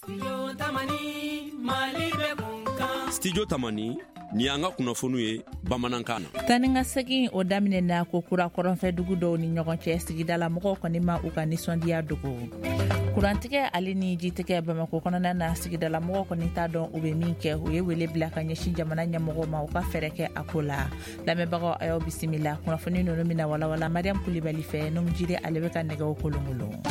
Studio Tamani ni y'an ka kunnafoniw ye bamanankan na. Taa ni ka segin o daminɛna ko kura kɔrɔnfɛ dugu dɔw ni ɲɔgɔn cɛ. Sigidala mɔgɔw kɔni ma u ka nisɔndiya dogo. Kurantigɛ ale ni jitigɛ Bamakɔ kɔnɔna na, sigidala mɔgɔw kɔni t'a dɔn u bɛ min kɛ. U ye wele bila ka ɲɛsin jamana ɲɛmɔgɔw ma, u ka fɛɛrɛ kɛ a ko la. Lamɛnbagaw, a y'aw bisimila. Kunnafoni ninnu bɛna walawala Mariam Kulibali fɛ. Numujire ale bɛ ka nɛgɛw kolonkolon.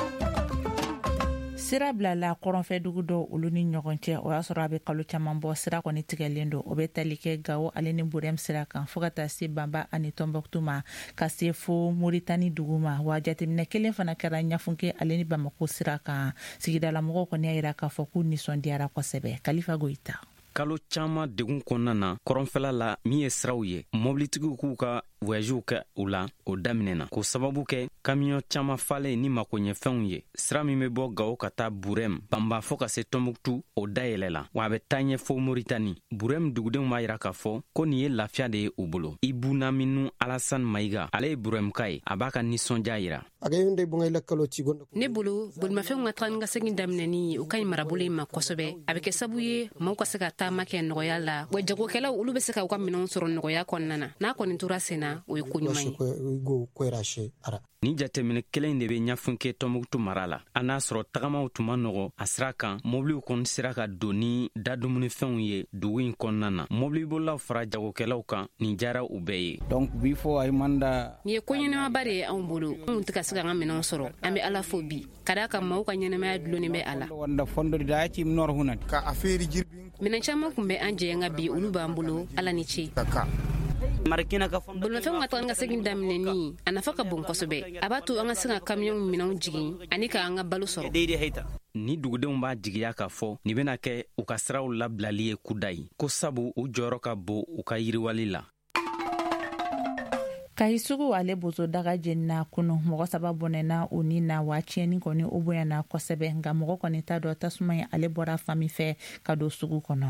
Sira bilala kɔrɔnfɛ dugu dɔw olu ni ɲɔgɔn cɛ. O y'a sɔrɔ a bɛ kalo caman bɔ, sira kɔni tigɛlen don. O bɛ tali kɛ Gawo ale ni Burɛm sira kan, fɔɔ ka taa se Banba ani Tɔnbɔkutu ma, ka se fo Moritani dugu ma. Wa jateminɛ kelen fana kɛra Ɲafunke ale ni Bamako sira kan. Sigidalamɔgɔw kɔni y'a yira k'a fɔ k'u nisɔndiyara kosɛbɛ. Kalifa Goyita. Kalo caman degun kɔnɔna na kɔrɔnfɛla la, min ye siraw ye, mɔbilitigiw k'u ka voyagew kɛ u la, o daminɛna k'o sababu kɛ kamiyɔn caaman falen ni makoɲɛfɛnw ye. Sira min bɛ bɔ Gawo ka taa Burɛm, Banba fɔɔ ka se Tɔnbuktu, o dayɛlɛla, wa a bɛ taa ɲɛ fo Moritani. Burɛm dugudenw b'a yira k'a fɔ ko nin ye lafiya de ye u bolo. Ibu Naminu Alasan Mayiga, ale ye Burɛmka ye, a b'a ka nisɔndiya yira. Ne bolo, bolimafɛnw ka taga ni ka segin daminɛni, o ka ɲi marabolo in ma kosɛbɛ. A bɛ kɛ sabu ye maaw ka se ka taama kɛ nɔgɔya la, wa jagokɛlaw, olu bɛ se ka u ka minɛnw sɔrɔ nɔgɔya kɔnɔna na. N'a kɔni tora sen na, o ye ko ɲuman ye. Ni jateminɛ kelen de bɛ Ɲafunke Tɔnbuktu mara la. A n'a sɔrɔ tagamaw tun ma nɔgɔ a sira kan, mobiliw kɔni sera ka don ni dadumunifɛnw ye dugu in kɔnɔna na. Mobilibolilaw fara jagokɛlaw kan, nin diyara u bɛɛ ye. Donc bi fɔ a manda. Nin ye ko ɲɛnamaba de ye anw bolo. Anw tɛ ka se k'an ka minɛnw sɔrɔ. An bɛ Ala fo bi, ka d'a kan maaw ka ɲɛnamaya dulonnen bɛ a la. Minɛn caman tun bɛ an jɛ, nka bi olu b'an bolo. Ala ni ce. Bolimafɛnw ka taga ni ka segin daminɛni, a nafa ka bon kosɛbɛ. A b'a to an ka se ka kamiyɔnw minɛnw jigin ani k'an ka balo sɔrɔ. Ni dugudenw b'a jigiya k'a fɔ nin bɛna kɛ u ka siraw labilali ye kudayi, ko sabu u jɔyɔrɔ ka bon u ka yiriwali la. Kayi sugu ale bozo daga jenina kunu. Mɔgɔ saba bɔnɛna u ni na, wa tiɲɛni kɔni o bonyana kosɛbɛ. Nka mɔgɔ kɔni t'a dɔn tasuma ye ale bɔra fan min fɛ ka don sugu kɔnɔ.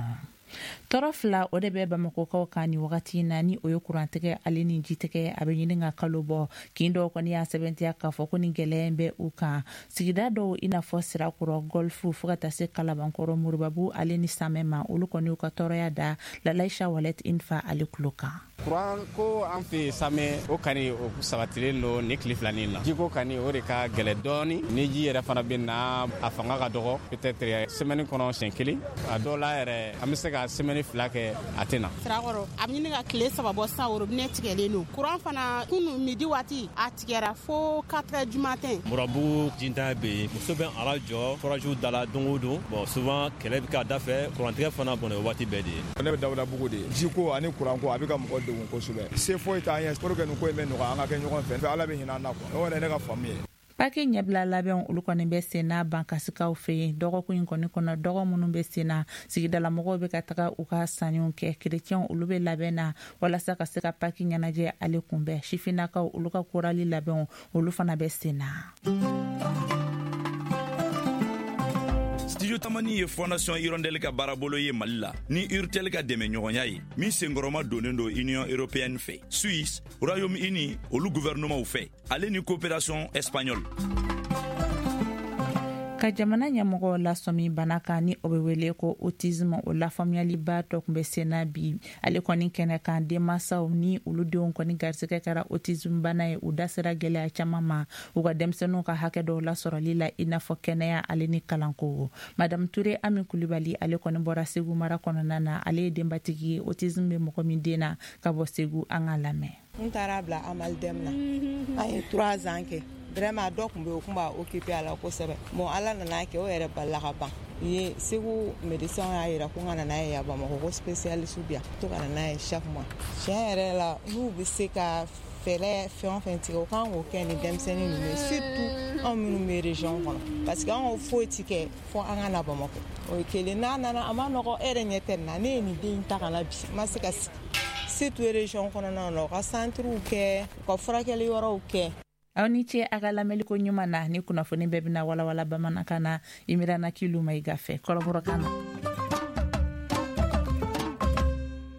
Tɔɔrɔ fila o de bɛ Bamakɔkaw kan ni wagati in na, ni o ye kurantigɛ ale ni jitigɛ. A bɛ ɲini ka kalo bɔ. Kin dɔw kɔni y'a sɛbɛntiya k'a fɔ ko ni gɛlɛya in bɛ u kan. Sigida dɔw, i n'a fɔ Sirakɔrɔ, Gɔlifu, fo ka taa se Kalabankɔrɔ, Moribabu ale ni Samɛ ma, olu kɔni y'u ka tɔɔrɔya da Lalaisa Walɛt Infa ale tulo kan. Kuran ko an fɛ Samɛ, o kani o sabatilen don ni tile filanin na. Jiko kani, o de ka gɛlɛ dɔɔni. Ni ji yɛrɛ fana bɛ na, a fanga ka dɔgɔ, peut-être semaine kɔnɔ siɲɛ kelen. A dɔw la yɛrɛ, an bɛ se ka semaine 2 kɛ, a tɛ na. Sirakɔrɔ, a bɛ ɲini ka tile 3 bɔ sisan, robinet tigɛlen don. Kuran fana, kunu midi waati a tigɛra fo 4 heures du matin. Murabugu jintan bɛ yen, muso bɛ ara jɔ forage da la don o don. Bon, souvent kɛlɛ bɛ k'a da fɛ, kurantigɛ fana bɔnɛ waati bɛɛ de ye. Ne bɛ Dawudabugu de ye. Jiko ani kuranko, a bɛ ka mɔgɔ degun kosɛbɛ. Se foyi t'an ye pour que nin ko in bɛ nɔgɔya, an ka kɛ ɲɔgɔn fɛ. Ala bɛ hinɛ an na quoi. O yɛrɛ ne ka faamu ye. Paki ɲɛbila labɛnw olu kɔni bɛ sen na Bankasikaw fɛ yen. Dɔgɔkun in kɔni kɔnɔ, dɔgɔ minnu bɛ sen na, sigidalamɔgɔw bɛ ka taga u ka sanniw kɛ. Kerecɛnw olu bɛ labɛn na walasa ka se ka Paki ɲɛnajɛ ale kunbɛn. Sifinnakaw olu ka korali labɛnw olu fana bɛ sen na. Studio Tamani ye Fondation Hirondelle ka baarabolo ye Mali la ni Urtel ka dɛmɛ ɲɔgɔnya ye, min senkɔrɔma donnen don Union européenne fɛ, Suisse, Royaume-Uni olu gouvernementw fɛ, ale ni coopération espagnole. Ka jamana ɲɛmɔgɔ lasɔmi bana kan ni o bɛ wele ko autisme, o lafaamuyaliba dɔ tun bɛ sen na bi ale kɔni kɛnɛ kan. Denmansaw ni olu denw kɔni garisɛgɛ kɛra autisme bana ye, u da sera gɛlɛya caman ma u ka denmisɛnninw ka hakɛ dɔw lasɔrɔli la, i n'a fɔ kɛnɛya ale ni kalanko. Madame Ture Ami Kulibali, ale kɔni bɔra Segu mara kɔnɔna na. Ale ye denbatigi ye autisme bɛ mɔgɔ min den na, ka bɔ Segu. An ka lamɛn. N taara bila Amaldeme na, an ye 3 ans kɛ. Vraiment, dɔ tun bɛ yen, o tun b'a occupé a la kosɛbɛ. Bon, Ala nana kɛ o yɛrɛ balila ka ban ye. Segu médecin y'a yira ko n ka na n'a ye yan Bamakɔ, ko spécialiste bi yan, to ka na n'a ye chaque mois. Tiɲɛ yɛrɛ la, n'u bɛ se ka fɛɛrɛ fɛn o fɛn tigɛ, o kan k'o kɛ ni denmisɛnnin ninnu ye, surtout anw minnu bɛ région kɔnɔ, parce que anw foyi ti kɛ fo an ka na Bamakɔ. O ye kelen. N'a nana, a ma nɔgɔ. E yɛrɛ ɲɛ tɛ nin na. Ne ye nin den ta ka na bi, n ma se ka sigi. Surtout région kɔnɔnaw na, u ka centrew kɛ, u ka furakɛli yɔrɔw kɛ. Aw ni ce a ka lamɛnliko ɲuman na. Ni kunnafoni bɛɛ bɛna walawala bamanankan na Imirana Kilu Mayiga fɛ kɔrɔbɔrɔkan na.